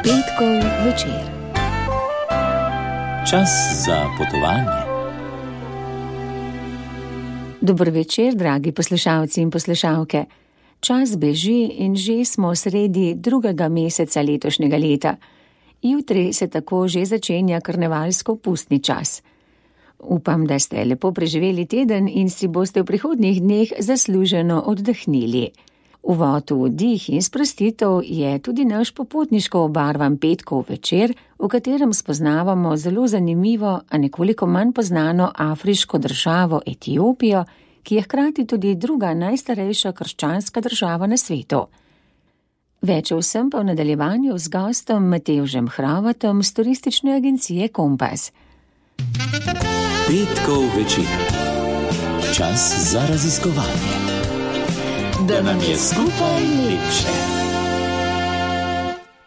Petkov večer. Čas za potovanje. Dober večer, dragi poslušalci in poslušalke. Čas beži in že smo sredi drugega meseca letošnjega leta. Jutri se tako že začenja karnevalsko-pustni čas. Upam, da ste lepo preživeli teden in si boste v prihodnjih dneh zasluženo oddahnili. Uvod v dih in sprostitev je tudi naš popotniško obarvan petkov večer, v katerem spoznavamo zelo zanimivo, a nekoliko manj poznano afriško državo Etiopijo, ki je hkrati tudi druga najstarejša krščanska država na svetu. Več o vsem pa v nadaljevanju z gostom Matevžem Hravatom z turistične agencije Kompas. Petkov večer. Čas za raziskovanje. Da nam je skupaj lepše.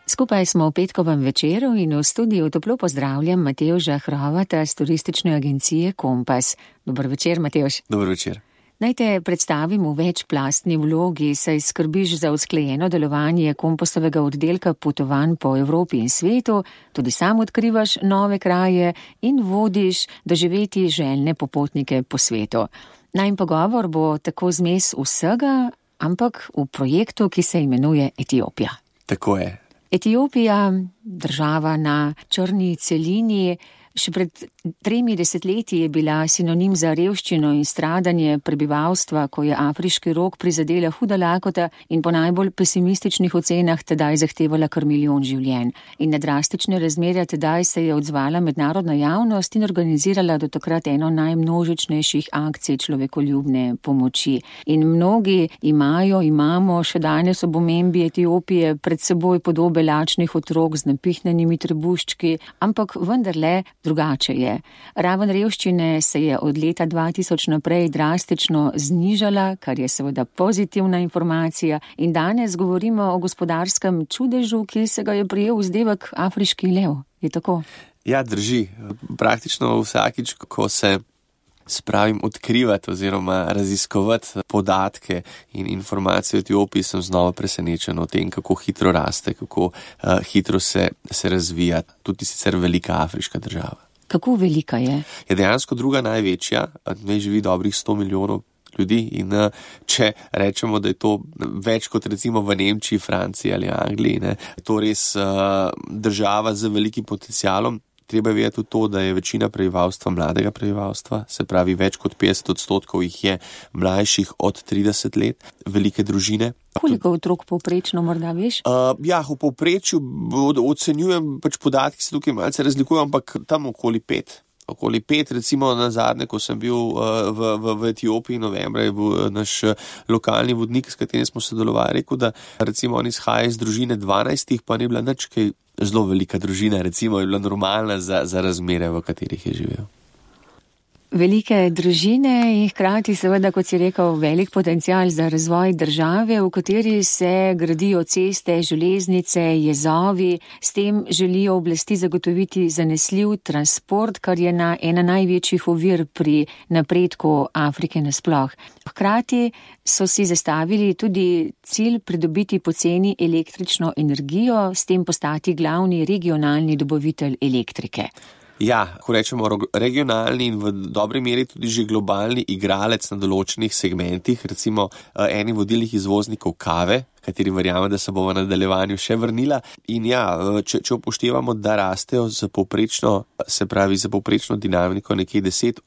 Skupaj smo v petkovem večeru in v studiu toplo pozdravljam Matevža Hravata z turistične agencije Kompas. Dober večer, Matevž. Dober večer. Naj te predstavim v večplastni vlogi, saj skrbiš za usklajeno delovanje Kompasovega oddelka potovanj po Evropi in svetu, tudi sam odkrivaš nove kraje in vodiš doživeti željne popotnike po svetu. Najin pogovor bo tako zmes vsega, ampak v projektu, ki se imenuje Etiopija. Tako je. Etiopija, država na črni celini, še pred 3 desetletji je bila sinonim za revščino in stradanje prebivalstva, ko je afriški rog prizadela huda lakota in po najbolj pesimističnih ocenah tedaj zahtevala kar 1 milijon življenj. In na drastične razmerja tedaj se je odzvala mednarodna javnost in organizirala do takrat eno najmnožičnejših akcij človekoljubne pomoči. In mnogi imamo še danes ob omembi Etiopije pred seboj podobe lačnih otrok z napihnjenimi trebuščki, ampak vendarle drugače je. Raven revščine se je od leta 2000 naprej drastično znižala, kar je seveda pozitivna informacija, in danes govorimo o gospodarskem čudežu, ki se ga je prijel vzdevek afriški lev. Je tako? Ja, drži. Praktično vsakič, ko se spravim odkrivati oziroma raziskovati podatke in informacije o Etiopiji, sem znova presenečen o tem, kako hitro raste, kako hitro se razvija, tudi sicer velika afriška država. Kako velika je? Je dejansko druga največja, ne živi dobrih 100 milijonov ljudi in če rečemo, da je to več kot recimo v Nemčiji, Franciji ali Angliji, ne, to res država z velikim potencialom. Treba vedeti tudi to, da je večina prebivalstva mladega prebivalstva, se pravi več kot 50% jih je mlajših od 30 let, velike družine. Koliko otrok povprečno morda veš? V povprečju ocenjujem, podatki se tukaj malce razlikujejo, ampak tam okoli 5. Okoli 5, recimo na zadnje, ko sem bil v Etiopiji novembra, je bil naš lokalni vodnik, s katerim smo sodelovali, rekel, da recimo on izhaja iz družine 12, pa ni bila nič kaj zelo velika družina, recimo je bila normalna za razmere, v katerih je živel. Velike družine in hkrati seveda, kot si rekel, velik potencial za razvoj države, v kateri se gradijo ceste, železnice, jezovi. S tem želijo oblasti zagotoviti zanesljiv transport, kar je ena največjih ovir pri napredku Afrike nasploh. Hkrati so si zastavili tudi cilj pridobiti poceni električno energijo, s tem postati glavni regionalni dobavitelj elektrike. Ja, ko rečemo regionalni in v dobri meri tudi že globalni igralec na določenih segmentih, recimo eni vodilnih izvoznikov kave, kateri verjamem, da se bo v nadaljevanju še vrnila. In ja, če upoštevamo, da rastejo za povprečno dinamiko nekje 10%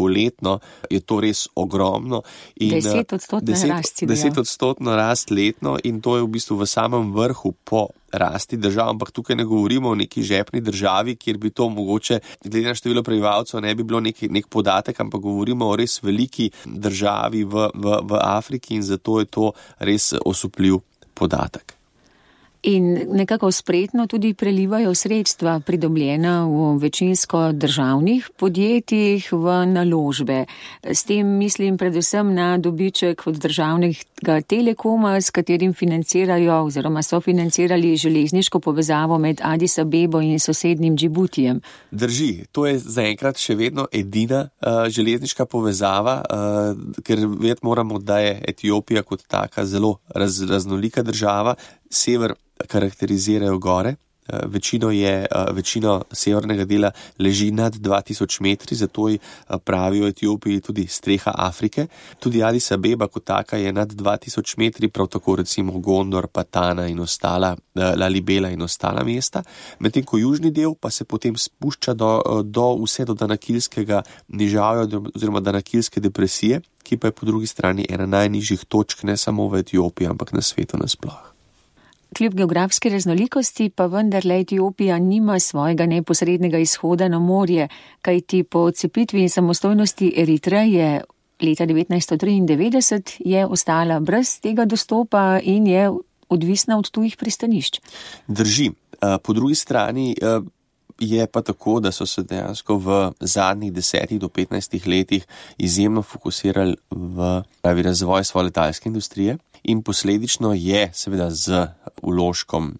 letno, je to res ogromno. 10% rast letno in to je v bistvu v samem vrhu po rasti držav, ampak tukaj ne govorimo o neki žepni državi, kjer bi to mogoče, glede na število prebivalcev, ne bi bilo nek podatek, ampak govorimo o res veliki državi v Afriki in zato je to res osupljiv podatek. In nekako spretno tudi prelivajo sredstva pridobljena v večinsko državnih podjetjih v naložbe. S tem mislim predvsem na dobiček od državnega Telekoma, s katerim financirajo oziroma so financirali železniško povezavo med Addis Abebo in sosednjim Džibutijem. Drži, to je zaenkrat še vedno edina železniška povezava, ker vedeti moramo, da je Etiopija kot taka zelo raznolika država. Sever karakterizirajo gore, večino severnega dela leži nad 2000 metri, zato ji pravijo Etiopiji tudi streha Afrike. Tudi Adis Abeba kot taka je nad 2000 metri, prav tako recimo Gondor, Patana in ostala, Lalibela in ostala mesta. Medtem ko južni del pa se potem spušča vse do Danakilskega nižavja oziroma Danakilske depresije, ki pa je po drugi strani ena najnižjih točk ne samo v Etiopiji, ampak na svetu nasploh. Kljub geografski raznolikosti pa vendarle Etiopija nima svojega neposrednega izhoda na morje, kajti po odcepitvi in samostojnosti Eritreje leta 1993 je ostala brez tega dostopa in je odvisna od tujih pristanišč. Drži. Po drugi strani je pa tako, da so se dejansko v zadnjih 10 do 15 letih izjemno fokusirali v razvoj svoje letalske industrije in posledično je seveda z vložkom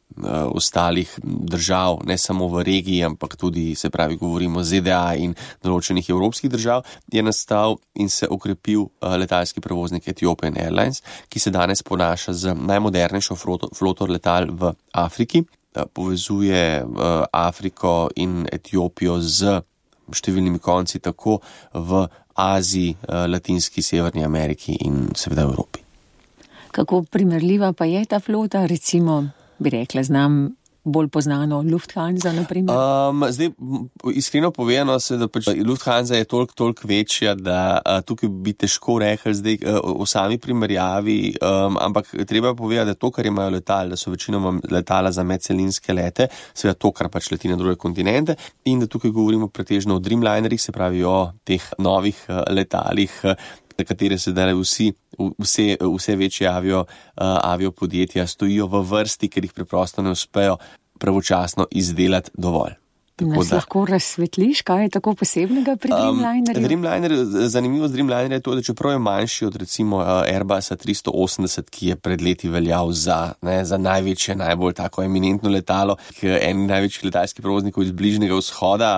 ostalih držav, ne samo v regiji, ampak tudi, se pravi, govorimo ZDA in določenih evropskih držav, je nastal in se okrepil letalski prevoznik Ethiopian Airlines, ki se danes ponaša z najmodernejšo floto letal v Afriki. Povezuje Afriko in Etiopijo z številnimi konci tako v Aziji, Latinski, Severni Ameriki in seveda Evropi. Kako primerljiva pa je ta flota, recimo, bi rekla, znam bolj poznano Lufthansa, na primer? Zdaj, iskreno povedano se, da pač Lufthansa je toliko večja, da tukaj bi težko rekli zdaj o sami primerjavi, ampak treba povedati, da to, kar imajo letali, da so večinoma letala za medcelinske lete, seveda to, kar pač leti na druge kontinente, in da tukaj govorimo pretežno o Dreamlinerih, se pravi o teh novih letalih, na katere se dale vse večje aviopodjetja stojijo v vrsti, ker jih preprosto ne uspejo pravočasno izdelati dovolj. Nas lahko razsvetliš, kaj je tako posebnega pri Dreamlinerju? Zanimivo z Dreamlinerjem je to, da čeprav je manjši od recimo Airbusa 380, ki je pred leti veljal za največje, najbolj tako eminentno letalo, en največjih letalskih prevoznikov iz Bližnjega vzhoda,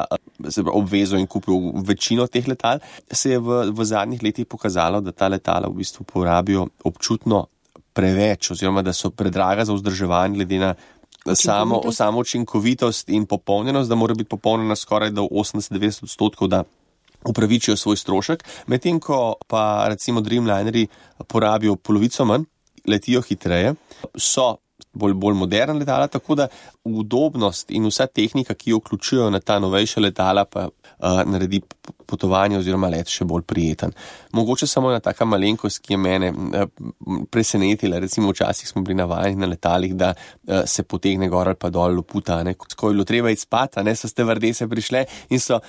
se obvezal in kupil večino teh letal, se je v zadnjih letih pokazalo, da ta letala v bistvu porabijo občutno preveč, oziroma da so predraga za vzdrževanje glede na samo učinkovitost in popolnjenost, da mora biti popolnjena skoraj do 80-90%, da upravičijo svoj strošek, medtem ko pa recimo Dreamlinerji porabijo polovico manj, letijo hitreje, so bolj moderna letala, tako da udobnost in vsa tehnika, ki jo vključujejo na ta novejša letala, pa naredi potovanje oziroma let še bolj prijeten. Mogoče samo ena taka malenkost, ki je mene presenetila, recimo včasih smo bili navajeni na letalih, da se potegne gor ali pa dol loputa, ko je bilo treba iti spat, so stevardese prišle in so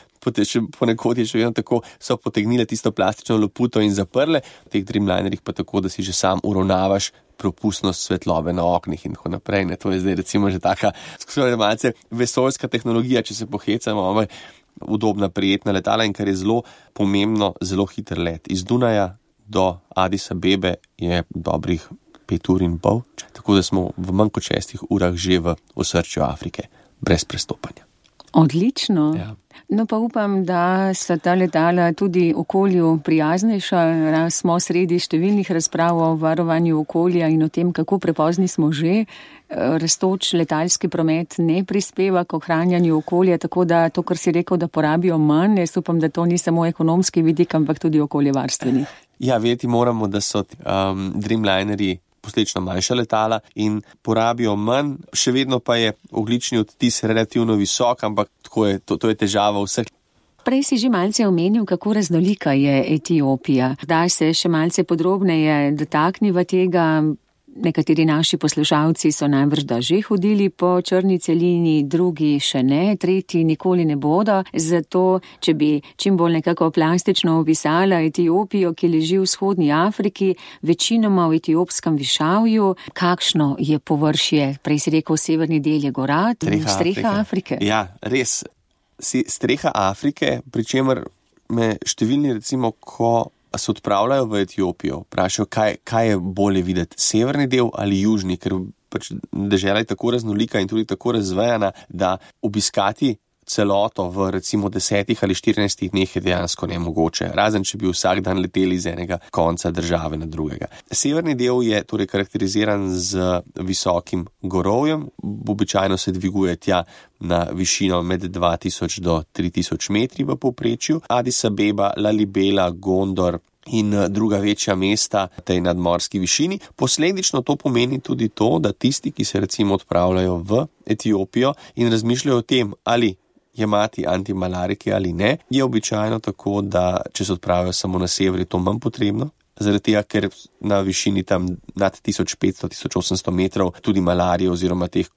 ponekod je še vedno tako, so potegnile tisto plastično loputo in zaprle, v teh Dreamlinerjih pa tako, da si že sam uravnavaš propustnost svetlobe na oknih in tako naprej. To je zdaj recimo že taka malce vesoljska tehnologija, če se pohecamo, ampak udobna, prijetna letala in kar je zelo pomembno, zelo hiter let. Iz Dunaja do Adis Abebe je dobrih 5 ur in pol, tako da smo v manj kot 6 urah že v osrčju Afrike, brez prestopanja. Odlično. Ja. No pa upam, da so ta letala tudi okolju prijaznejša. Smo sredi številnih razprav o varovanju okolja in o tem, kako prepozni smo že. Rastoč letalski promet ne prispeva k ohranjanju okolja, tako da to, kar si rekel, da porabijo manj, jaz upam, da to ni samo ekonomski vidik, ampak tudi okoljevarstveni. Ja, vedeti moramo, da so Dreamlinerji posledično manjša letala in porabijo manj, še vedno pa je ogljični odtis relativno visok, ampak to je težava vseh. Prej si že malce omenil, kako raznolika je Etiopija. Kdaj se še malce podrobneje dotakniva tega? Nekateri naši poslušalci so najbrž da že hodili po črni celini, drugi še ne, tretji nikoli ne bodo. Zato, če bi čim bolj nekako plastično opisala Etiopijo, ki leži v vzhodni Afriki, večinoma v etiopskem višavju, kakšno je površje? Prej si rekel, severni del je gorat, streha Afrike. Ja, res. Streha Afrike, pri čemer me številni recimo, ko se odpravljajo v Etiopijo, vprašajo, kaj je bolje videti, severni del ali južni, ker pač dežela je tako raznolika in tudi tako razvejana, da obiskati celoto v recimo 10 ali 14 dneh je dejansko nemogoče, razen če bi vsak dan leteli iz enega konca države na drugega. Severni del je torej karakteriziran z visokim gorovjem, običajno se dviguje tja na višino med 2000 do 3000 metri v povprečju. Addis Abeba, Lalibela, Gondor in druga večja mesta na tej nadmorski višini. Posledično to pomeni tudi to, da tisti, ki se recimo odpravljajo v Etiopijo in razmišljajo o tem, ali jemati antimalarike ali ne, je običajno tako, da če se odpravijo samo na sever, je to manj potrebno. Zaradi tega, ker na višini tam nad 1500-1800 metrov tudi malarije oziroma teh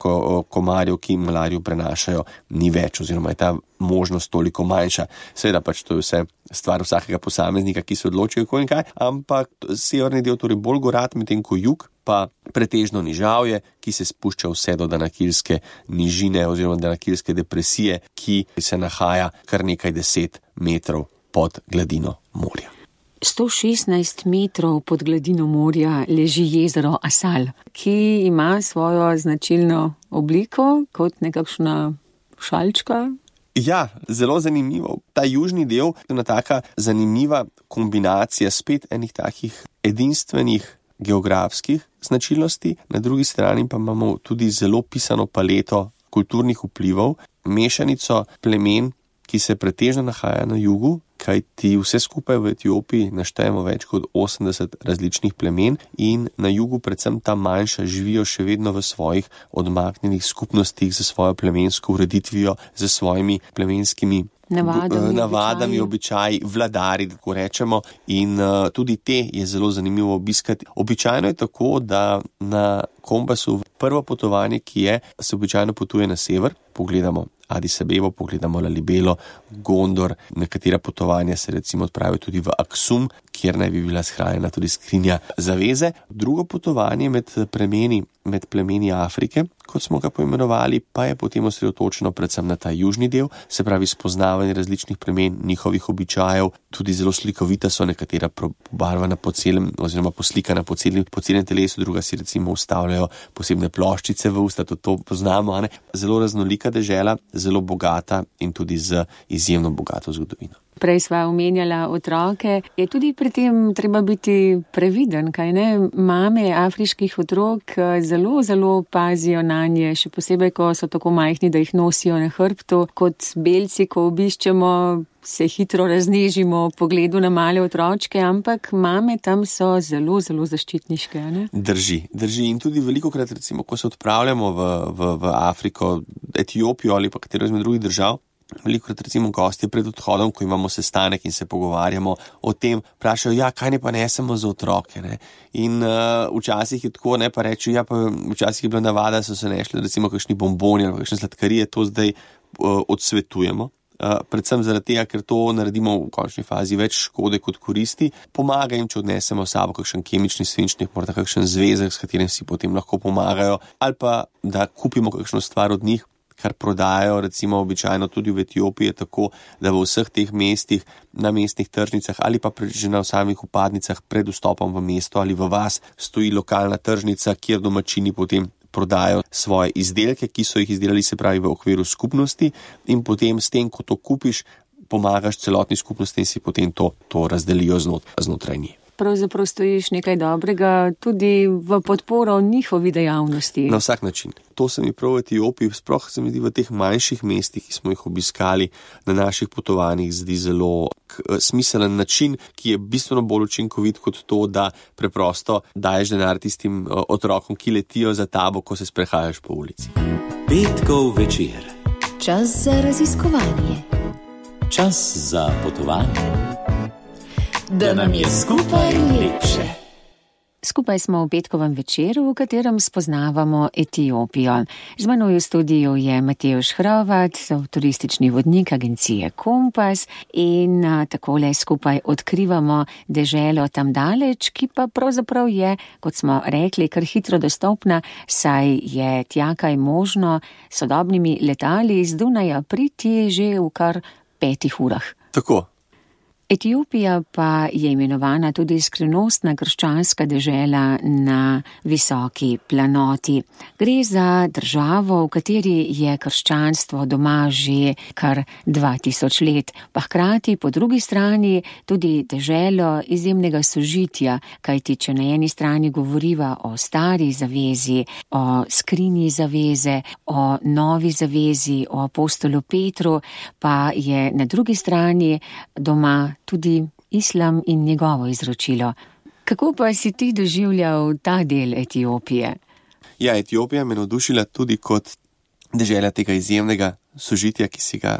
komarjev, ki malarijo prenašajo, ni več oziroma je ta možnost toliko manjša. Seveda pač to je vse stvar vsakega posameznika, ki se odločijo kako in kaj, ampak severni del torej bolj gorat, medtem ko jug pa pretežno nižavje, ki se spušča vse do Danakilske nižine oziroma Danakilske depresije, ki se nahaja kar nekaj 10 metrov pod gladino morja. 116 metrov pod gladino morja leži jezero Asal, ki ima svojo značilno obliko kot nekakšna šalčka. Ja, zelo zanimivo. Ta južni del je ena taka zanimiva kombinacija spet enih takih edinstvenih geografskih značilnosti, na drugi strani pa imamo tudi zelo pisano paleto kulturnih vplivov, mešanico plemen, ki se pretežno nahaja na jugu, kajti vse skupaj v Etiopiji naštejemo več kot 80 različnih plemen in na jugu predvsem ta manjša živijo še vedno v svojih odmaknjenih skupnostih za svojo plemensko ureditvijo, za svojimi plemenskimi navadami, običaji, vladari, tako rečemo, in tudi te je zelo zanimivo obiskati. Običajno je tako, da na kompasu prvo potovanje, ki je, se običajno potuje na sever, pogledamo Addis Abebo, pogledamo Lalibelo, Gondor, nekatera potovanja se recimo odpravijo tudi v Aksum, kjer naj bi bila shranjena tudi skrinja zaveze. Drugo potovanje med plemeni Afrike, kot smo ga poimenovali, pa je potem osredotočeno predvsem na ta južni del, se pravi spoznavanje različnih plemen, njihovih običajev, tudi zelo slikovita so, nekatera pobarvana po celem oziroma poslikana po celem telesu, druga si recimo ustavljajo posebne ploščice v usta, to poznamo, ne? Zelo raznolika dežela, zelo bogata in tudi z izjemno bogato zgodovino. Prej sva omenjala otroke, je tudi pri tem treba biti previden, kaj ne? Mame afriških otrok zelo pazijo na nje, še posebej, ko so tako majhni, da jih nosijo na hrbtu. Kot belci, ko obiščemo, se hitro raznežimo v pogledu na male otročke, ampak mame tam so zelo zaščitniške, ne? Drži. In tudi velikokrat, recimo, ko se odpravljamo v Afriko, Etiopijo ali pa katero izmed drugih držav, velikokrat recimo gostje pred odhodom, ko imamo sestanek in se pogovarjamo o tem, vprašajo, kaj ne pa nesemo za otroke, ne? In včasih je tako, ne, pa rečejo, pa včasih je bila navada, so se nešli recimo kakšni bomboni ali kakšne sladkarije, to zdaj odsvetujemo. Predvsem zaradi tega, ker to naredimo v končni fazi več škode kot koristi. Pomaga jim, če odnesemo s sabo kakšen kemični svinčnik, morda kakšen zvezek, s katerim si potem lahko pomagajo, ali pa da kupimo kakšno stvar od njih, kar prodajajo recimo običajno tudi v Etiopiji, je tako, da v vseh teh mestih, na mestnih tržnicah ali pa že na samih vpadnicah pred vstopom v mesto ali v vas stoji lokalna tržnica, kjer domačini potem prodajo svoje izdelke, ki so jih izdelali, se pravi v okviru skupnosti, in potem s tem, ko to kupiš, pomagaš celotni skupnosti in si potem to razdelijo znotraj njih. Pravzaprav stojiš nekaj dobrega tudi v podporo njihovi dejavnosti. Na vsak način. To se mi prav v Etiopiji, sploh se mi zdi v teh manjših mestih, ki smo jih obiskali na naših potovanjih, zdi zelo smiselen način, ki je bistveno bolj učinkovit kot to, da preprosto daješ denar tistim otrokom, ki letijo za tabo, ko se sprehajaš po ulici. Petkov večer. Čas za raziskovanje. Čas za potovanje. Da nam je skupaj lepše. Skupaj smo v petkovem večeru, v katerem spoznavamo Etiopijo. Z menoj v studiu je Matevž Hrovat, turistični vodnik agencije Kompas, in takole skupaj odkrivamo deželo tam daleč, ki pa pravzaprav je, kot smo rekli, kar hitro dostopna, saj je tja kaj možno sodobnimi letali z Dunaja priti že v kar 5 urah. Tako. Etiopija pa je imenovana tudi skrivnostna krščanska dežela na visoki planoti. Gre za državo, v kateri je krščanstvo doma že kar 2000 let, pa hkrati po drugi strani tudi deželo izjemnega sožitja, kajti če na eni strani govoriva o stari zavezi, o skrinji zaveze, o novi zavezi, o apostolu Petru, pa je na drugi strani doma tudi islam in njegovo izročilo. Kako pa si ti doživljal ta del Etiopije? Ja, Etiopija me navdušila tudi kot dežela tega izjemnega sožitja, ki si ga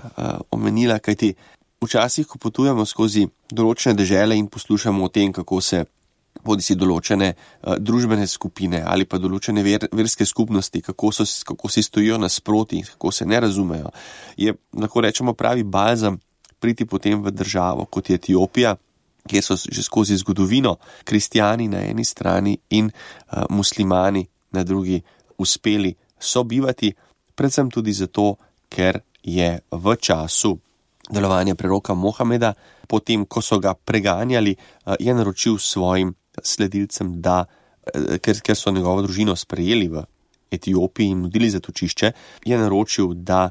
omenila, kajti včasih, ko potujemo skozi določene dežele in poslušamo o tem, kako se bodisi določene družbene skupine ali pa določene verske skupnosti, kako si stojijo nasproti, kako se ne razumejo, je, lahko rečemo, pravi balzam priti potem v državo, kot je Etiopija, kjer so že skozi zgodovino kristjani na eni strani in muslimani na drugi uspeli sobivati, predvsem tudi zato, ker je v času delovanja preroka Mohameda, potem, ko so ga preganjali, je naročil svojim sledilcem, da, ker so njegovo družino sprejeli v Etiopiji in nudili zatočišče, je naročil, da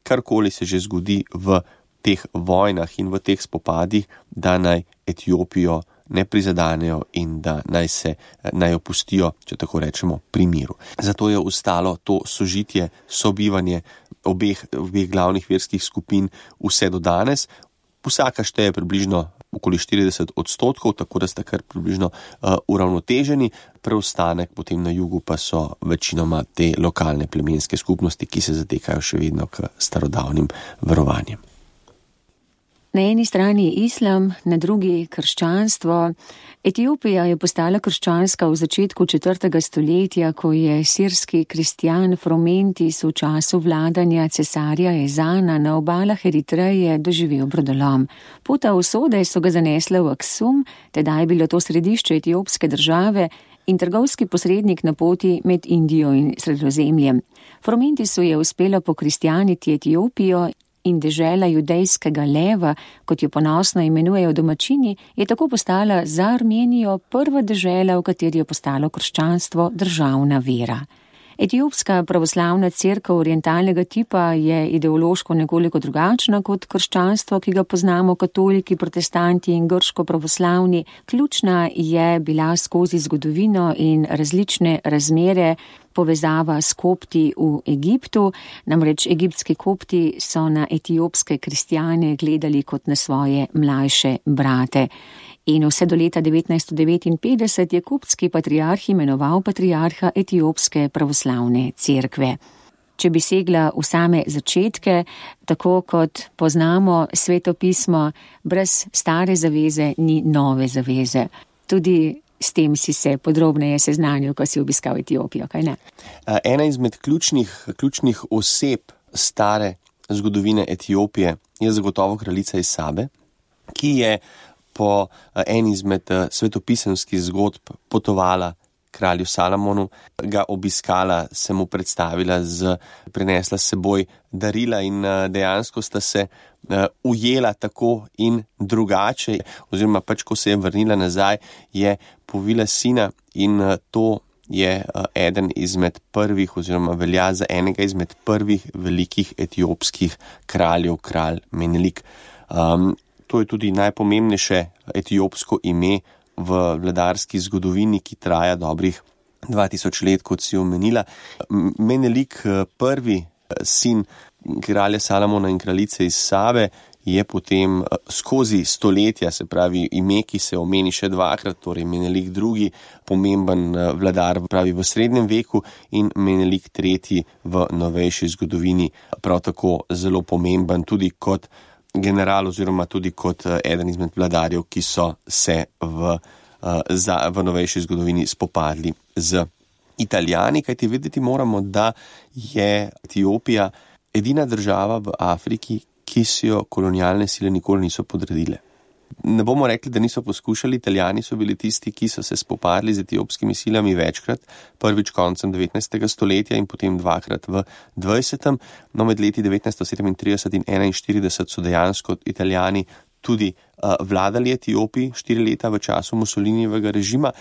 karkoli se že zgodi v teh vojnah in v teh spopadih, da naj Etiopijo ne prizadanejo in da naj opustijo, če tako rečemo, pri miru. Zato je ostalo to sožitje, sobivanje obeh glavnih verskih skupin vse do danes. Vsaka šteje približno okoli 40%, tako da sta kar približno uravnoteženi, preostanek potem na jugu pa so večinoma te lokalne plemenske skupnosti, ki se zatekajo še vedno k starodavnim verovanjem. Na eni strani islam, na drugi krščanstvo. Etiopija je postala krščanska v začetku 4. stoletja, ko je sirski kristjan Fromentis v času vladanja cesarja Ezana na obalah Eritreje doživel brodolom. Pota usode so ga zanesle v Aksum, tedaj je bilo to središče etiopske države in trgovski posrednik na poti med Indijo in Sredozemljem. Fromentisu je uspelo pokristjaniti Etiopijo in dežela judejskega leva, kot jo ponosno imenujejo domačini, je tako postala za Armenijo prva dežela, v kateri je postalo krščanstvo državna vera. Etiopska pravoslavna cerkev orientalnega tipa je ideološko nekoliko drugačna kot krščanstvo, ki ga poznamo katoliki, protestanti in grško pravoslavni. Ključna je bila skozi zgodovino in različne razmere povezava s kopti v Egiptu, namreč egiptski kopti so na etiopske kristjane gledali kot na svoje mlajše brate. In vse do leta 1959 je koptski patriarh imenoval patriarha etiopske pravoslavne cerkve. Če bi segla v same začetke, tako kot poznamo Sveto pismo, brez stare zaveze ni nove zaveze. Tudi s tem si se podrobneje seznanil, ko si obiskal Etiopijo, kaj ne? Ena izmed ključnih oseb stare zgodovine Etiopije je zagotovo kraljica Isabe, ki je po eni izmed svetopisemskih zgodb potovala kralju Salomonu, ga obiskala, se mu predstavila, prinesla s seboj darila in dejansko sta se ujela tako in drugače, oziroma pač, ko se je vrnila nazaj, je povila sina in to je eden izmed prvih, oziroma velja za enega izmed prvih velikih etiopskih kraljev, kralj Menelik. To je tudi najpomembnejše etiopsko ime v vladarski zgodovini, ki traja dobrih 2000 let, kot si omenila. Menelik, prvi sin kralja Salomona in kraljice Isabe, je potem skozi stoletja, se pravi ime, ki se omeni še dvakrat, torej Menelik II, pomemben vladar pravi v srednjem veku in Menelik III v novejši zgodovini, prav tako zelo pomemben tudi kot general oziroma tudi kot eden izmed vladarjev, ki so se v novejši zgodovini spopadli z Italijani, kajti vedeti moramo, da je Etiopija edina država v Afriki, ki si jo kolonialne sile nikoli niso podredile. Ne bomo rekli, da niso poskušali, Italijani so bili tisti, ki so se spopadli z etiopskimi silami večkrat, prvič koncem 19. stoletja in potem dvakrat v 20. No, med leti 1937 in 1941 so dejansko Italijani tudi vladali Etiopiji 4 leta v času Mussolinijevega režima,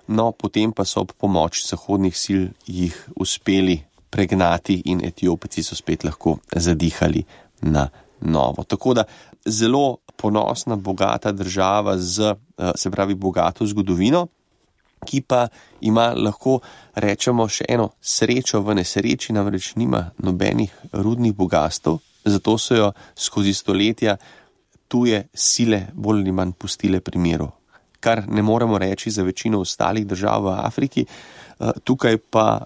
no potem pa so ob pomoči zahodnih sil jih uspeli pregnati in Etiopci so spet lahko zadihali na novo. Tako da zelo ponosna, bogata država z, se pravi, bogato zgodovino, ki pa ima, lahko rečemo, še eno srečo v nesreči, namreč nima nobenih rudnih bogastev, zato so jo skozi stoletja tuje sile bolj ali manj pustile pri miru. Kar ne moremo reči za večino ostalih držav v Afriki, tukaj pa,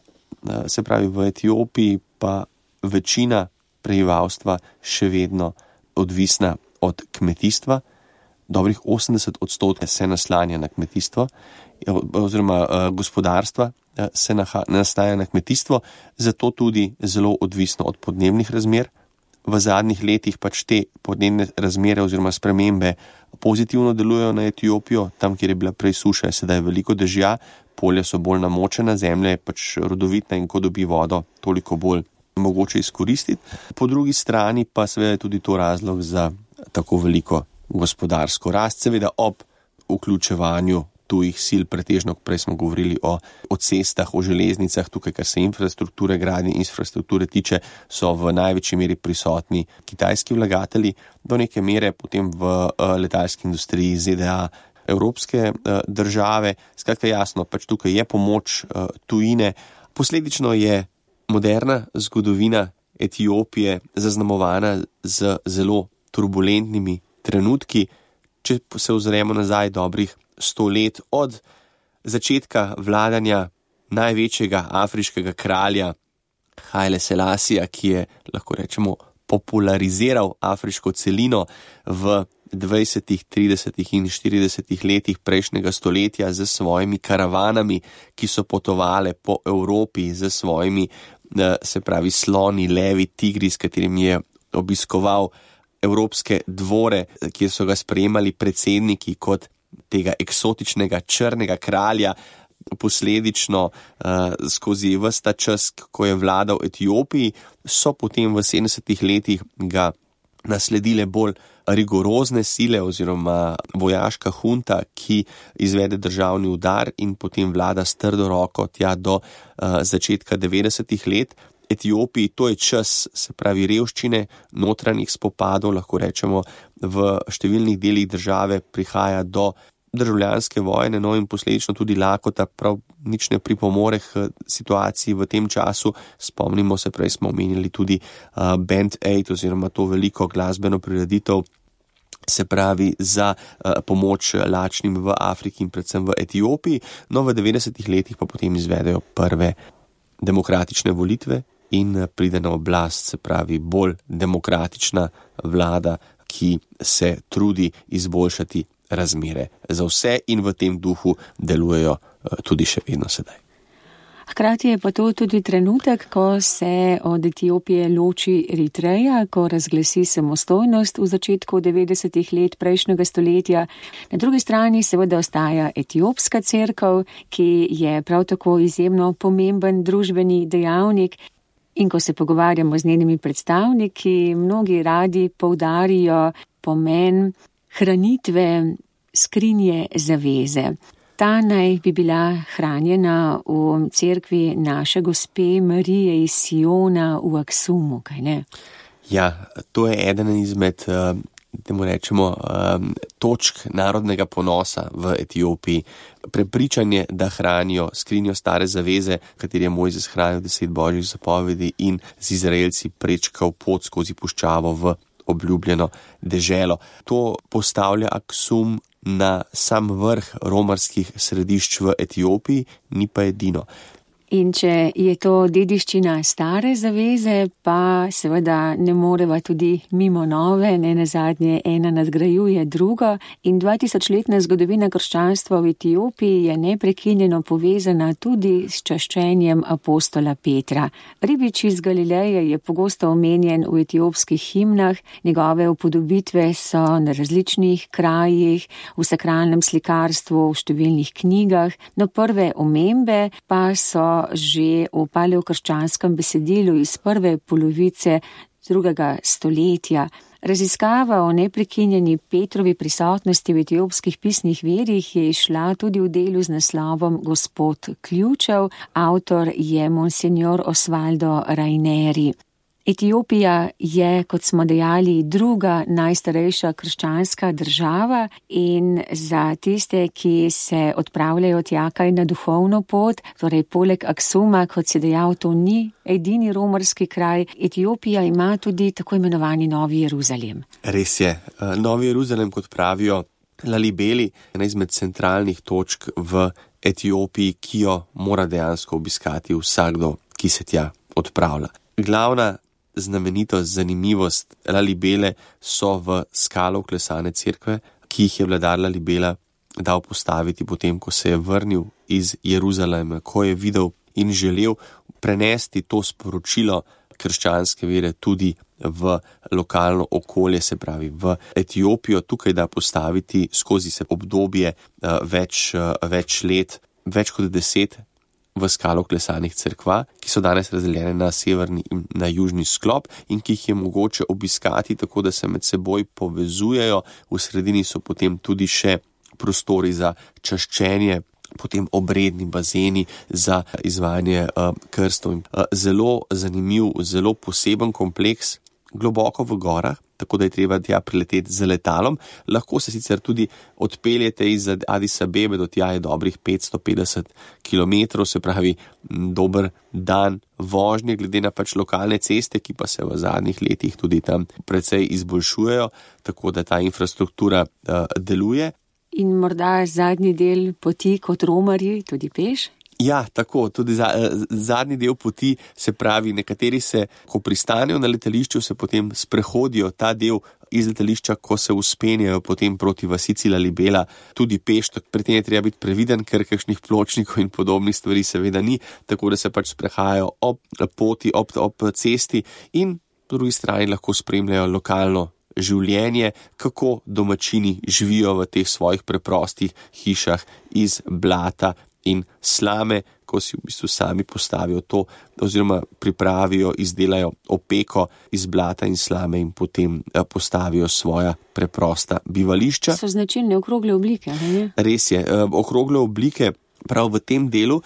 se pravi v Etiopiji, pa večina prebivalstva še vedno odvisna od kmetijstva. Dobrih 80% se naslanja na kmetijstvo, oziroma gospodarstva se nastaja na kmetijstvo, zato tudi zelo odvisno od podnebnih razmer. V zadnjih letih pač te podnebne razmere oziroma spremembe pozitivno delujejo na Etiopijo, tam, kjer je bila prej suša, je sedaj veliko dežja, polja so bolj namočena, zemlja je pač rodovitna in ko dobi vodo, toliko bolj mogoče izkoristiti. Po drugi strani pa seveda je tudi to razlog za tako veliko gospodarsko rast, seveda ob vključevanju tujih sil, pretežno, prej smo govorili o cestah, o železnicah, tukaj, kar se infrastrukture, gradnje infrastrukture tiče, so v največji meri prisotni kitajski vlagatelji, do neke mere potem v letalski industriji ZDA, evropske države. Skratka, jasno, pač tukaj je pomoč tujine. Posledično je moderna zgodovina Etiopije zaznamovana z zelo turbulentnimi trenutki. Če se ozremo nazaj dobrih 100 let od začetka vladanja največjega afriškega kralja Haile Selassija, ki je, lahko rečemo, populariziral afriško celino v 20., 30. in 40. letih prejšnjega stoletja z svojimi karavanami, ki so potovale po Evropi z svojimi, se pravi, sloni, levi, tigri, s katerimi je obiskoval evropske dvore, kjer so ga sprejemali predsedniki kot tega eksotičnega črnega kralja. Posledično skozi ves ta čas, ko je vladal Etiopiji, so potem v 70. letih ga nasledile bolj rigorozne sile oziroma vojaška hunta, ki izvede državni udar in potem vlada s trdo roko tja do začetka 90. let. Etiopiji to je čas, se pravi, revščine, notranjih spopadov, lahko rečemo, v številnih delih države prihaja do državljanske vojne, no in posledično tudi lakota prav nič ne pripomore k situaciji v tem času. Spomnimo se, prej smo omenili tudi Band Aid oziroma to veliko glasbeno prireditev, se pravi za pomoč lačnim v Afriki in predvsem v Etiopiji, no v 90. letih pa potem izvedejo prve demokratične volitve in pride na oblast, se pravi, bolj demokratična vlada, ki se trudi izboljšati razmere za vse in v tem duhu delujejo tudi še vedno sedaj. Hkrati je pa to tudi trenutek, ko se od Etiopije loči Eritreja, ko razglasi samostojnost v začetku 90. let prejšnjega stoletja. Na drugi strani seveda ostaja etiopska cerkev, ki je prav tako izjemno pomemben družbeni dejavnik. In ko se pogovarjamo z njenimi predstavniki, mnogi radi poudarijo pomen hranitve skrinje zaveze. Ta naj bi bila hranjena v cerkvi naše gospe Marije iz Siona v Aksumu, kaj ne? Ja, to je eden izmed, temu rečemo, točk narodnega ponosa v Etiopiji. Prepričanje, da hranijo skrinjo stare zaveze, kateri je Mojzes hranil 10 božjih zapovedi in z Izraelci prečkal pot skozi puščavo v obljubljeno deželo. To postavlja Aksum na sam vrh romarskih središč v Etiopiji, ni pa edino. In če je to dediščina stare zaveze, pa seveda ne moreva tudi mimo nove, ne nazadnje ena nadgrajuje drugo in 2000-letna zgodovina krščanstva v Etiopiji je neprekinjeno povezana tudi s čaščenjem apostola Petra. Ribič iz Galileje je pogosto omenjen v etiopskih himnah, njegove upodobitve so na različnih krajih, v sakralnem slikarstvu, v številnih knjigah, no prve omembe pa so že v paleokrščanskem besedilu iz prve polovice 2. stoletja. Raziskava o neprekinjeni Petrovi prisotnosti v etiopskih pisnih virih je izšla tudi v delu z naslovom Gospod ključev, avtor je monsignor Osvaldo Raineri. Etiopija je, kot smo dejali, druga najstarejša krščanska država in za tiste, ki se odpravljajo tja kaj na duhovno pot, torej poleg Aksuma, kot si dejal, to ni edini romarski kraj, Etiopija ima tudi tako imenovani Novi Jeruzalem. Res je. Novi Jeruzalem, kot pravijo Lalibeli, je ena izmed centralnih točk v Etiopiji, ki jo mora dejansko obiskati vsakdo, ki se tja odpravlja. Glavna znamenitost, zanimivost Lalibele so v skalo vklesane cerkve, ki jih je vladar Lalibela dal postaviti potem, ko se je vrnil iz Jeruzalema, ko je videl in želel prenesti to sporočilo krščanske vere tudi v lokalno okolje, se pravi v Etiopijo, tukaj da postaviti skozi se obdobje več let, več kot 10 v skalo klesanih cerkva, ki so danes razdeljene na severni in na južni sklop in ki jih je mogoče obiskati tako, da se med seboj povezujejo. V sredini so potem tudi še prostori za čaščenje, potem obredni bazeni za izvajanje krstov. Zelo zanimiv, zelo poseben kompleks, globoko v gorah, tako da je treba tja prileteti z letalom. Lahko se sicer tudi odpeljete iz Addis Abebe, do tja je dobrih 550 km, se pravi dober dan vožnje, glede na pač lokalne ceste, ki pa se v zadnjih letih tudi tam precej izboljšujejo, tako da ta infrastruktura deluje. In morda zadnji del poti kot romarji tudi peš? Ja, tako, tudi zadnji del poti, se pravi, nekateri se, ko pristanejo na letališču, se potem sprehodijo ta del iz letališča, ko se uspenjajo potem proti vasici Lalibela, tudi peš, pri tem je treba biti previden, ker kakšnih pločnikov in podobnih stvari seveda ni, tako da se pač sprehajajo ob poti, ob cesti in po drugi strani lahko spremljajo lokalno življenje, kako domačini živijo v teh svojih preprostih hišah iz blata in slame, ko si v bistvu sami postavijo to, oziroma pripravijo, izdelajo opeko iz blata in slame in potem postavijo svoja preprosta bivališča. So značilne okrogle oblike, ne? Res je, okrogle oblike prav v tem delu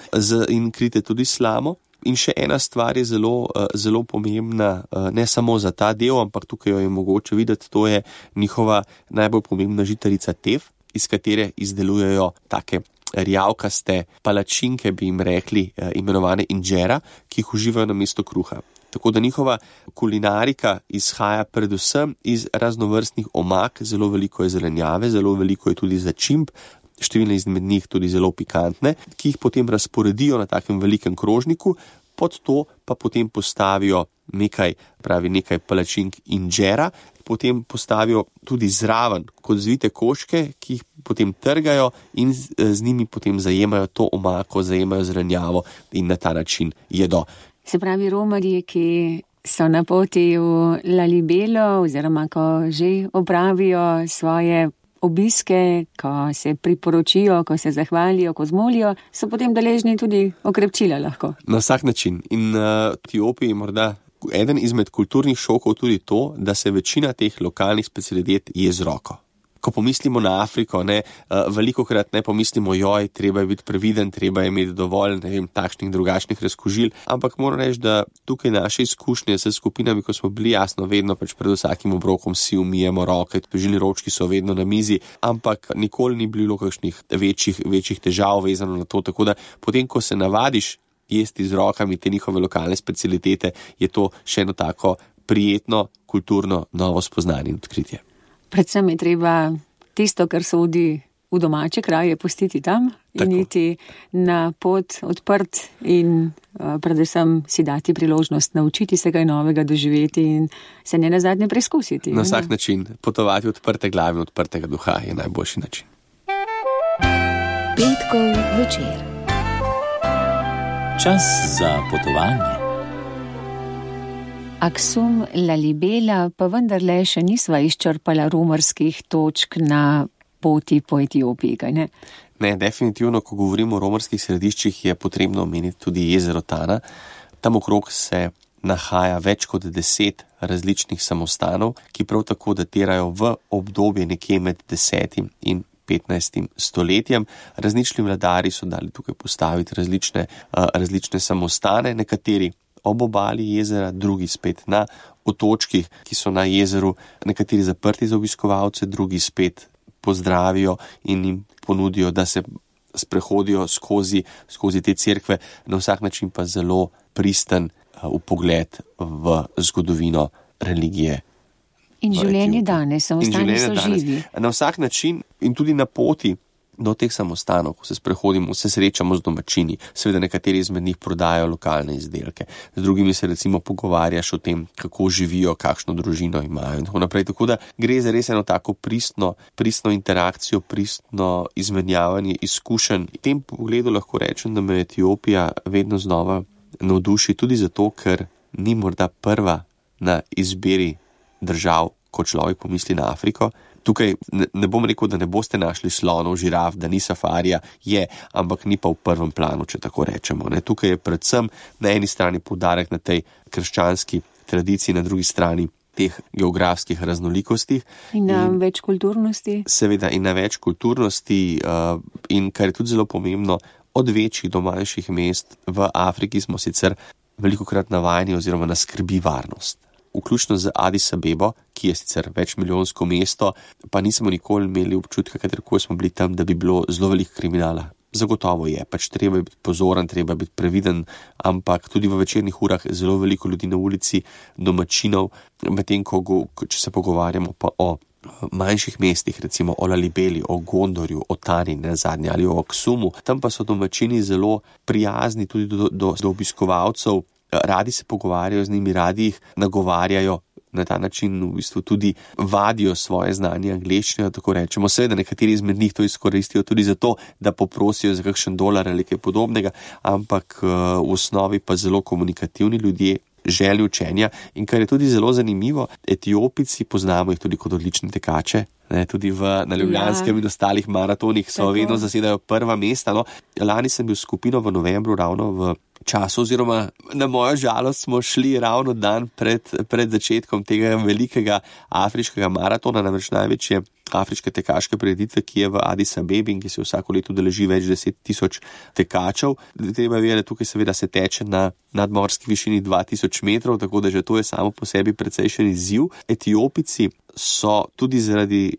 in krite tudi slamo. In še ena stvar je zelo pomembna, ne samo za ta del, ampak tukaj jo je mogoče videti, to je njihova najbolj pomembna žitarica tev, iz katere izdelujejo take rjavkaste palačinke, bi jim rekli, imenovane injera, ki jih uživajo na mesto kruha. Tako da njihova kulinarika izhaja predvsem iz raznovrstnih omak, zelo veliko je zelenjave, zelo veliko je tudi začimb, številne izmed njih tudi zelo pikantne, ki jih potem razporedijo na takem velikem krožniku, pod to pa potem postavijo nekaj palačink injera, potem postavijo tudi zraven kot zvite koščke, ki jih potem trgajo in z njimi potem zajemajo to omako, zajemajo zelenjavo in na ta način jedo. Se pravi, romarji, ki so na poti v Lalibelo oziroma ko že opravijo svoje obiske, ko se priporočijo, ko se zahvalijo, ko zmolijo, so potem deležni tudi okrepčila lahko. Na vsak način. In v Etiopiji morda eden izmed kulturnih šokov tudi to, da se večina teh lokalnih specialitet je z roko. Ko pomislimo na Afriko, velikokrat ne pomislimo, treba je biti previden, treba je imeti dovolj, takšnih drugačnih razkužil, ampak moram reči, da tukaj naše izkušnje s skupinami, ko smo bili, jasno, vedno pač pred vsakim obrokom si umijemo roke, žilni ročki so vedno na mizi, ampak nikoli ni bilo kakšnih večjih težav vezano na to, tako da potem, ko se navadiš jesti z rokami te njihove lokalne specialitete, je to še eno tako prijetno, kulturno novo spoznanje in odkritje. Predvsem je treba tisto, kar sodi v domače kraje, pustiti tam in iti na pot odprt in predvsem si dati priložnost naučiti se kaj novega, doživeti in se ne nazadnje preizkusiti. Na vsak način potovati odprte glave in odprtega duha je najboljši način. Petkov večer. Čas za potovanje. Aksum, Lalibela, pa vendarle še nisva izčrpala romarskih točk na poti po Etiopiji, kaj ne? Ne, definitivno, ko govorimo o romarskih središčih, je potrebno omeniti tudi jezero Tana. Tam okrog se nahaja več kot 10 različnih samostanov, ki prav tako datirajo v obdobje nekje med 10. in 15. stoletjem. Različni vladarji so dali tukaj postaviti različne samostane, nekateri ob obali jezera, drugi spet na otočkih, ki so na jezeru, nekateri zaprti za obiskovalce, drugi spet pozdravijo in jim ponudijo, da se sprehodijo skozi te cerkve, na vsak način pa zelo pristen vpogled v zgodovino religije. In življenje danes, samostani so živi. Na vsak način in tudi na poti do teh samostanov, ko se sprehodimo, se srečamo z domačini, seveda nekateri izmed njih prodajajo lokalne izdelke, z drugimi se recimo pogovarjaš o tem, kako živijo, kakšno družino imajo in tako naprej. Tako da gre za res eno tako pristno interakcijo, pristno izmenjavanje izkušenj. V tem pogledu lahko rečem, da me Etiopija vedno znova navduši tudi zato, ker ni morda prva na izbiri držav, ko človek pomisli na Afriko. Tukaj ne bom rekel, da ne boste našli slonov, žiraf, da ni safarija, ampak ni pa v prvem planu, če tako rečemo. Tukaj je predvsem na eni strani poudarek na tej krščanski tradiciji, na drugi strani teh geografskih raznolikostih. In na več kulturnosti. Seveda in na več kulturnosti in kar je tudi zelo pomembno, od večjih do manjših mest v Afriki smo sicer velikokrat navajeni oziroma nas skrbi varnost. Vključno z Addis Abebo, ki je sicer večmilijonsko mesto, pa nismo nikoli imeli občutka, katerkoli smo bili tam, da bi bilo zelo veliko kriminala. Zagotovo je, treba je biti pozoren, treba je biti previden, ampak tudi v večernih urah zelo veliko ljudi na ulici, domačinov, medtem če se pogovarjamo pa o manjših mestih, recimo o Lalibeli, o Gondorju, o Tani, nazadnje ali o Aksumu, tam pa so domačini zelo prijazni tudi do obiskovalcev, radi se pogovarjajo z njimi, radi jih nagovarjajo, na ta način v bistvu tudi vadijo svoje znanje angleščine, tako rečemo. Seveda nekateri izmed njih to izkoristijo tudi zato, da poprosijo za kakšen dolar ali kaj podobnega, ampak v osnovi pa zelo komunikativni ljudje, želje učenja in kar je tudi zelo zanimivo, Etiopijci, poznamo jih tudi kot odlične tekače, tudi na Ljubljanskem in ostalih maratonih so vedno zasedajo prva mesta. Lani sem bil s skupino v novembru ravno v času, oziroma na mojo žalost smo šli ravno dan pred začetkom tega velikega afriškega maratona, namreč največje afriške tekaške prireditve, ki je v Addis Abebi in ki se vsako leto udeleži več 10,000 tekačev. Treba je vedeti, tukaj seveda se teče na nadmorski višini 2000 metrov, tako da že to je samo po sebi precejšen izziv. Etiopijci so tudi zaradi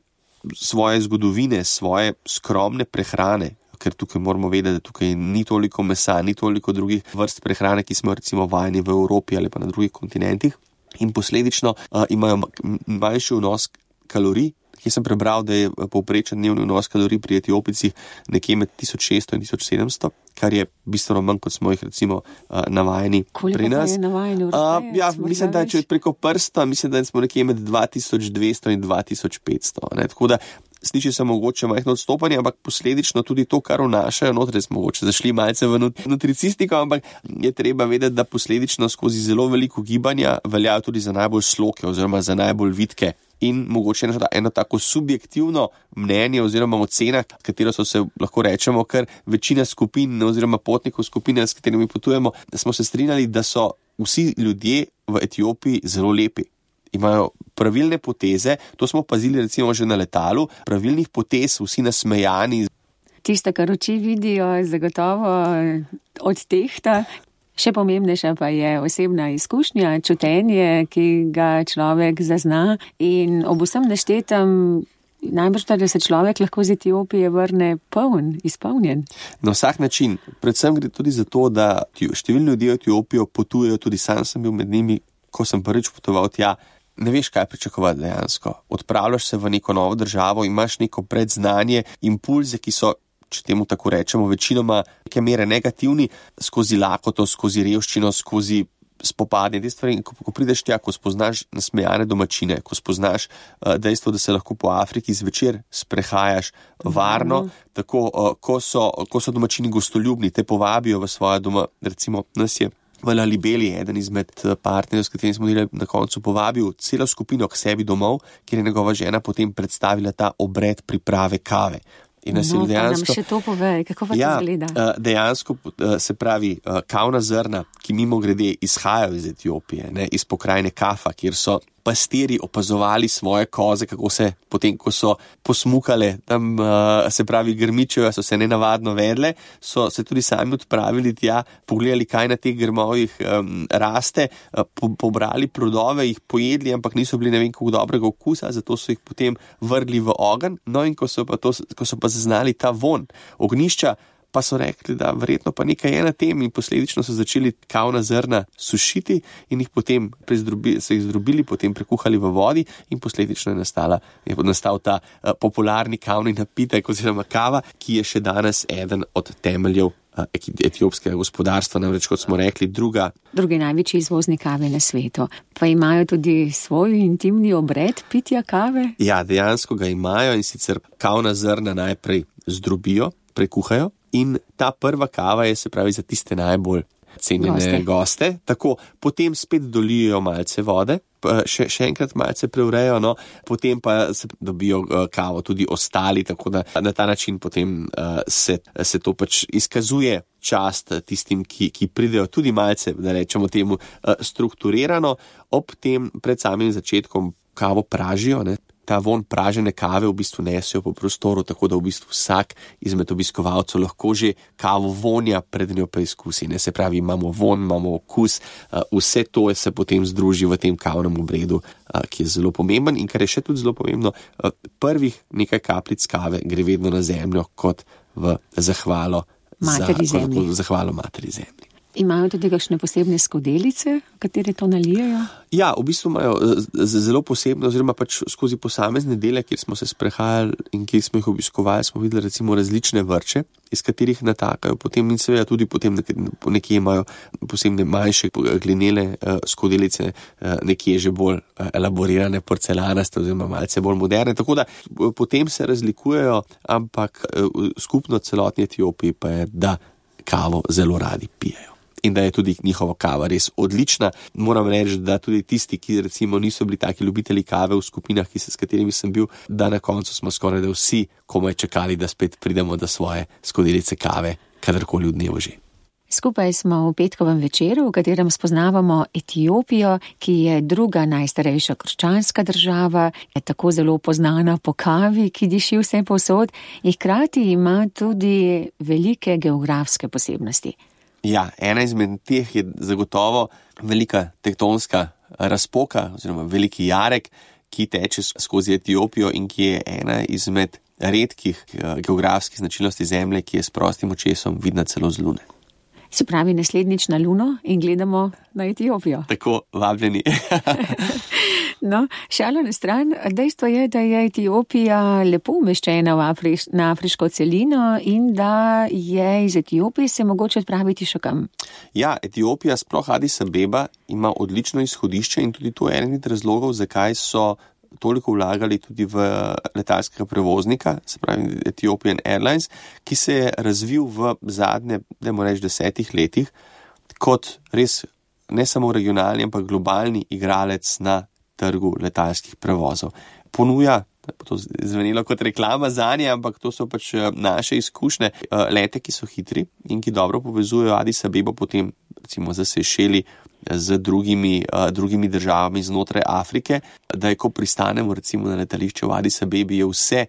svoje zgodovine, svoje skromne prehrane, ker tukaj moramo vedeti, da tukaj ni toliko mesa, ni toliko drugih vrst prehrane, ki smo recimo vajeni v Evropi ali pa na drugih kontinentih, in posledično imajo manjši vnos kalorij. Jaz sem prebral, da je povprečen dnevni vnos kalorij pri Etiopijcih nekje med 1600 in 1700, kar je bistveno manj, kot smo jih recimo navajeni pri nas. Koliko je navajeni v Evropi? Mislim, da če preko prsta, mislim, da smo nekje med 2200 in 2500. Tako da sliši se mogoče majhno odstopanje, ampak posledično tudi to, kar vnašajo noter, smo mogoče zašli malce v nutricistiko, ampak je treba vedeti, da posledično skozi zelo veliko gibanja veljajo tudi za najbolj sloke oziroma za najbolj vitke. In mogoče eno tako subjektivno mnenje oziroma ocena, katero so se, lahko rečemo, kar večina skupin oziroma potnikov skupine, s katerimi potujemo, da smo se strinjali, da so vsi ljudje v Etiopiji zelo lepi. Imajo pravilne poteze, to smo opazili recimo že na letalu, pravilnih potez, vsi nasmejani. Tisto, kar oči vidijo, zagotovo odtehta. Še pomembnejša pa je osebna izkušnja, čutenje, ki ga človek zazna, in ob vsem naštetem najbrž da se človek lahko z Etiopije vrne izpolnjen. Na vsak način. Predvsem gre tudi za to, da številni ljudje v Etiopijo potujejo, tudi sam sem bil med njimi, ko sem prvič potoval tja. Ne veš, kaj pričakovati dejansko. Odpravljaš se v neko novo državo, imaš neko predznanje, impulze, ki so, če temu tako rečemo, večinoma neke mere negativni, skozi lakoto, skozi revščino, skozi spopadanje te stvari. In ko prideš tja, ko spoznaš nasmejane domačine, ko spoznaš dejstvo, da se lahko po Afriki zvečer sprehajaš varno, tako, ko so domačini gostoljubni, te povabijo v svoje doma, recimo nas je v Lalibeli eden izmed partnerjev, s katerimi smo delali, na koncu povabil celo skupino k sebi domov, kjer je njegova žena potem predstavila ta obred priprave kave. In dejansko, nam še to povej, kako pa to izgleda? Dejansko se pravi, kavna zrna, ki mimogrede izhajajo iz Etiopije, ne, iz pokrajine Kafa, kjer so pastirji opazovali svoje koze, kako se potem, ko so posmukale, tam se pravi grmičejo, so se nenavadno vedle, so se tudi sami odpravili tja, pogledali, kaj na teh grmovih raste, pobrali plodove, jih pojedli, ampak niso bili ne vem koliko dobrega okusa, zato so jih potem vrgli v ogenj. No, in ko so pa zaznali ta von ognišča, pa so rekli, da verjetno pa nekaj je na tem, in posledično so začeli kavna zrna sušiti in jih potem zdrobili, potem prekuhali v vodi, in posledično je nastal ta popularni kavni napitek oziroma kava, ki je še danes eden od temeljev etiopskega gospodarstva, namreč, kot smo rekli, drugi največji izvoznik kave na svetu. Pa imajo tudi svoj intimni obred pitja kave? Ja, dejansko ga imajo, in sicer kavna zrna najprej zdrobijo, prekuhajo, in ta prva kava je, se pravi, za tiste najbolj cenjene goste. Tako, potem spet dolijo malce vode, še enkrat malce preurejo, no, potem pa se dobijo kavo tudi ostali, tako da na ta način potem se to pač izkazuje čast tistim, ki pridejo tudi malce, da rečemo temu, strukturirano. Ob tem pred samim začetkom kavo pražijo, ne. Ta von pražene kave v bistvu nesijo po prostoru, tako da v bistvu vsak izmed obiskovalcev lahko že kavo vonja pred njo preizkusi. Ne? Se pravi, imamo von, imamo okus, vse to se potem združi v tem kavnem obredu, ki je zelo pomemben, in kar je še tudi zelo pomembno, prvih nekaj kapljic kave gre vedno na zemljo kot v zahvalo materi zemlji. Imajo tudi kakšne posebne skodelice, katere to nalijajo? Ja, v bistvu imajo zelo posebno, oziroma pač skozi posamezne dele, kjer smo se sprehajali in kjer smo jih obiskovali, smo videli recimo različne vrče, iz katerih natakajo potem, in seveda tudi potem nekje imajo posebne manjše glinele skodelice, nekje že bolj elaborirane porcelanaste oziroma malce bolj moderne, tako da potem se razlikujejo, ampak skupno celotni Etiopiji pa je, da kavo zelo radi pijejo. In da je tudi njihova kava res odlična. Moram reči, da tudi tisti, ki recimo niso bili taki ljubitelji kave v skupinah, s katerimi sem bil, da na koncu smo skoraj da vsi komaj čakali, da spet pridemo do svoje skodelice kave, kadarkoli v dnevu že. Skupaj smo v petkovem večeru, v katerem spoznavamo Etiopijo, ki je druga najstarejša krščanska država, je tako zelo poznana po kavi, ki diši vse povsod, in hkrati ima tudi velike geografske posebnosti. Ja, ena izmed teh je zagotovo velika tektonska razpoka oziroma veliki jarek, ki teče skozi Etiopijo in ki je ena izmed redkih geografskih značilnosti zemlje, ki je s prostim očesom vidna celo z Lune. Se pravi, naslednjič na Luno in gledamo na Etiopijo. Tako, vabljeni. No, šalo na stran, dejstvo je, da je Etiopija lepo umeščena na afriško celino in da je iz Etiopije se mogoče odpraviti še kam. Ja, Etiopija, sploh Addis Abeba, ima odlično izhodišče in tudi to je eden od razlogov, zakaj so toliko vlagali tudi v letalskega prevoznika, se pravi Ethiopian Airlines, ki se je razvil v zadnje, dajmo reči, 10 letih kot res ne samo regionalni, ampak globalni igralec na trgu letalskih prevozov. Ponuja, to zvenelo kot reklama zanje, ampak to so pač naše izkušnje, lete, ki so hitri in ki dobro povezujejo Addis Abebo potem recimo za Sejšeli z drugimi državami znotraj Afrike, da je, ko pristanemo recimo na letališče v Addis Abebi, je vse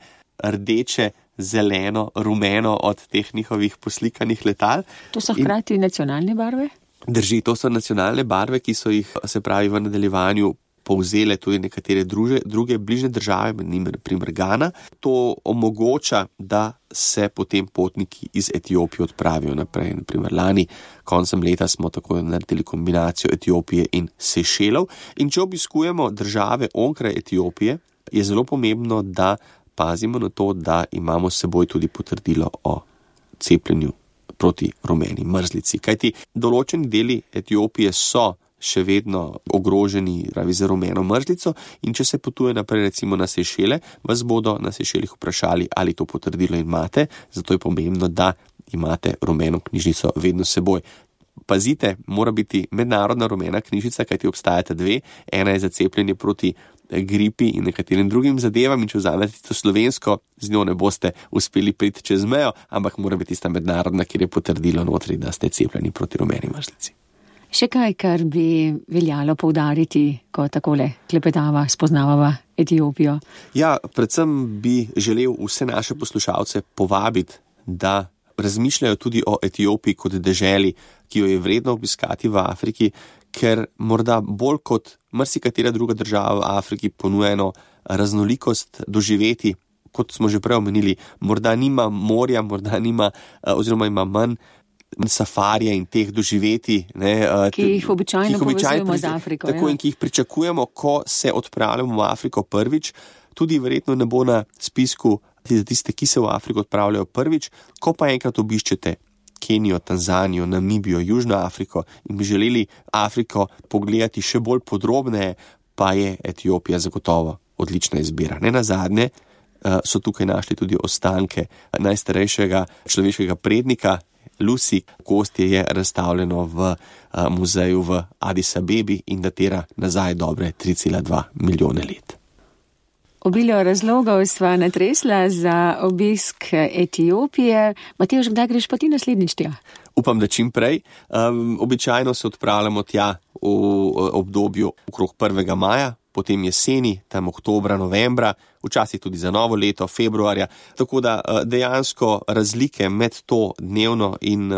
rdeče, zeleno, rumeno od teh njihovih poslikanih letal. To so hkrati nacionalne barve? Drži, to so nacionalne barve, ki so jih, se pravi, v nadaljevanju povzele tudi nekatere druge bližnje države, med njimi primer Gana. To omogoča, da se potem potniki iz Etiopije odpravijo naprej. Naprimer, lani koncem leta smo tako naredili kombinacijo Etiopije in Sejšelov. In če obiskujemo države onkraj Etiopije, je zelo pomembno, da pazimo na to, da imamo s seboj tudi potrdilo o cepljenju proti rumeni mrzlici. Kajti določeni deli Etiopije so še vedno ogroženi za rumeno mrzlico, in če se potuje naprej recimo na Sejšele, vas bodo na Sejšelih vprašali, ali to potrdilo imate, zato je pomembno, da imate rumeno knjižnico vedno s seboj. pazite, mora biti mednarodna rumena knjižica, kajti obstajata dve. Ena je za cepljenje proti gripi in nekaterim drugim zadevam in če vzamete to slovensko, z njo ne boste uspeli priti čez mejo, ampak mora biti tista mednarodna, kjer je potrdilo notri, da ste cepljeni proti rumeni mrzlici. Še kaj, kar bi veljalo poudariti, ko takole klepetava, spoznavava Etiopijo? Ja, predvsem bi želel vse naše poslušalce povabiti, da razmišljajo tudi o Etiopiji kot deželi, ki jo je vredno obiskati v Afriki, ker morda bolj kot marsikatera druga država v Afriki ponujeno raznolikost doživeti, kot smo že prej omenili, morda nima morja, morda nima, oziroma ima manj safarija in teh doživeti, ki jih običajno povezujemo z Afriko. Tako, in ki jih pričakujemo, ko se odpravljamo v Afriko prvič, tudi verjetno ne bo na spisku za tiste, ki se v Afriko odpravljajo prvič, ko pa enkrat obiščete Kenijo, Tanzanijo, Namibijo, Južno Afriko in bi želeli Afriko pogledati še bolj podrobneje, pa je Etiopija zagotovo odlična izbira. Nenazadnje so tukaj našli tudi ostanke najstarejšega človeškega prednika, Lusi. Gostje je razstavljeno v muzeju v Addis Abebi in datira nazaj dobre 3,2 milijone let. Obilo razlogov sva natresla za obisk Etiopije. Matevž, kdaj greš pa ti naslednjič tja? Upam, da čim prej. Običajno se odpravljamo tja v obdobju okrog 1. maja, potem jeseni, tam oktobra, novembra, včasih tudi za novo leto, februarja. Tako da dejansko razlike med to dnevno in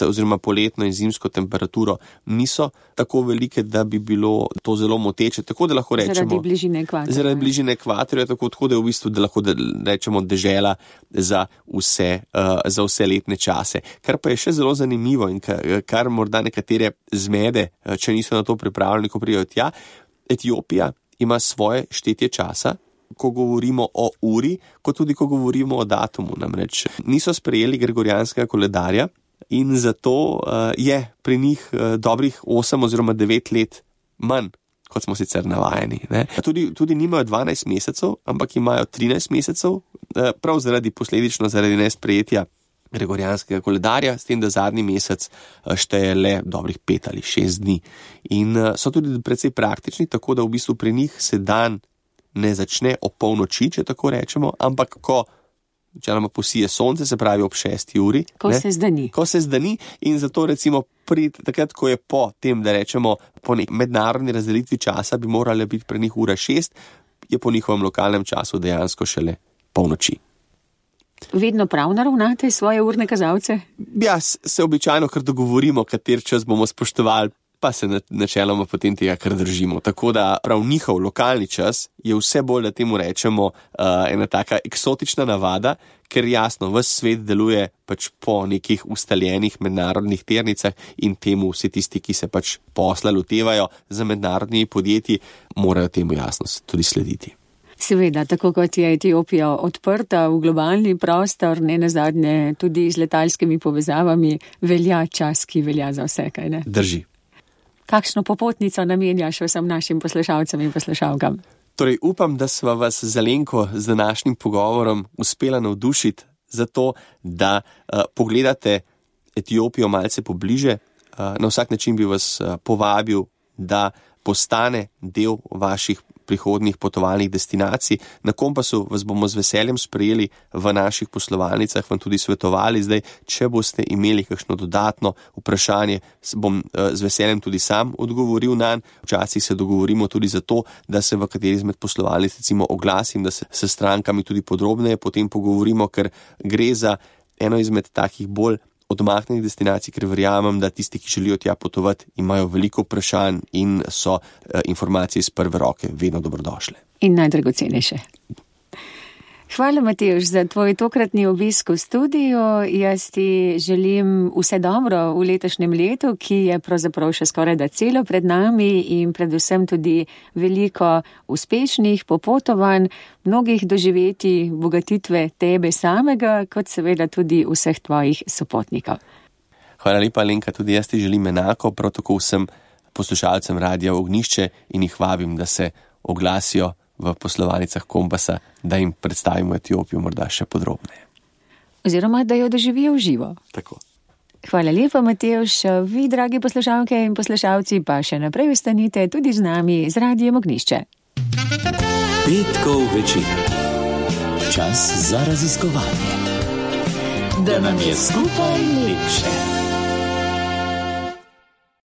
oziroma poletno in zimsko temperaturo niso tako velike, da bi bilo to zelo moteče. Tako da lahko rečemo, zaradi bližine ekvatorja. Zaradi bližine ekvatorja, tako da je v bistvu, da lahko rečemo dežela za vse letne čase. Kar pa je še zelo zanimivo in kar morda nekatere zmede, če niso na to pripravljeni, ko prijajo tja, Etiopija ima svoje štetje časa, ko govorimo o uri, kot tudi ko govorimo o datumu. Namreč niso sprejeli gregorijanskega koledarja in zato je pri njih dobrih 8 oziroma 9 let manj, kot smo sicer navajeni. Tudi nimajo 12 mesecev, ampak imajo 13 mesecev, prav posledično zaradi nesprejetja gregorijanskega koledarja, s tem, da zadnji mesec šteje le dobrih 5 ali 6 dni. In so tudi precej praktični, tako da v bistvu pri njih se dan ne začne o polnoči, če tako rečemo, ampak ko načeloma posije sonce, se pravi ob 6 uri. Ko se zdani. In zato recimo takrat, ko je po tem, da rečemo po mednarodni razdelitvi časa, bi morala biti pri njih ura 6, je po njihovem lokalnem času dejansko šele polnoči. Vedno prav naravnate svoje urne kazalce? Ja, se običajno kar dogovorimo, kater čas bomo spoštovali, pa se načeloma potem tega kar držimo. Tako da prav njihov lokalni čas je vse bolj, da temu rečemo, ena taka eksotična navada, ker jasno, ves svet deluje pač po nekih ustaljenih mednarodnih tirnicah in temu vsi tisti, ki se pač posla lotevajo za mednarodnimi podjetji, morajo temu jasno tudi slediti. Seveda, tako kot je Etiopija odprta v globalni prostor, nenazadnje tudi z letalskimi povezavami, velja čas, ki velja za vse, kaj ne? Drži. Kakšno popotnico namenjaš vsem našim poslušalcem in poslušalkam? Torej, upam, da sva vas z Alenko z današnjim pogovorom uspela navdušiti za to, da pogledate Etiopijo malce pobliže. Na vsak način bi vas povabil, da postane del vaših prihodnih potovalnih destinacij. Na Kompasu vas bomo z veseljem sprejeli v naših poslovalnicah, vam tudi svetovali. Zdaj, če boste imeli kakšno dodatno vprašanje, bom z veseljem tudi sam odgovoril nanj. Včasih se dogovorimo tudi za to, da se v kateri izmed poslovalnic recimo oglasim, da se s strankami tudi podrobneje potem pogovorimo, ker gre za eno izmed takih bolj odmaknjenih destinacij, ker verjamem, da tisti, ki želijo tja potovati, imajo veliko vprašanj in so informacije iz prve roke vedno dobrodošle. In najdragocenejše. Hvala, Matevž, za tvoj tokratni obisk v studiu. Jaz ti želim vse dobro v letošnjem letu, ki je pravzaprav še skoraj da celo pred nami in predvsem tudi veliko uspešnih popotovanj, mnogih doživetij, bogatitve tebe samega, kot seveda tudi vseh tvojih sopotnikov. Hvala lepa, Alenka, tudi jaz ti želim enako, prav tako vsem poslušalcem Radia Ognjišče in jih vabim, da se oglasijo v poslovalnicah Kompasa, da jim predstavimo Etiopijo morda še podrobneje. Oziroma, da jo doživijo v živo. Tako. Hvala lepa, Matevž. Vi, dragi poslušalke in poslušalci, pa še naprej ostanite tudi z nami z Radijem Ognjišče. Petkov večer. Čas za raziskovanje. Da nam je skupaj lepše.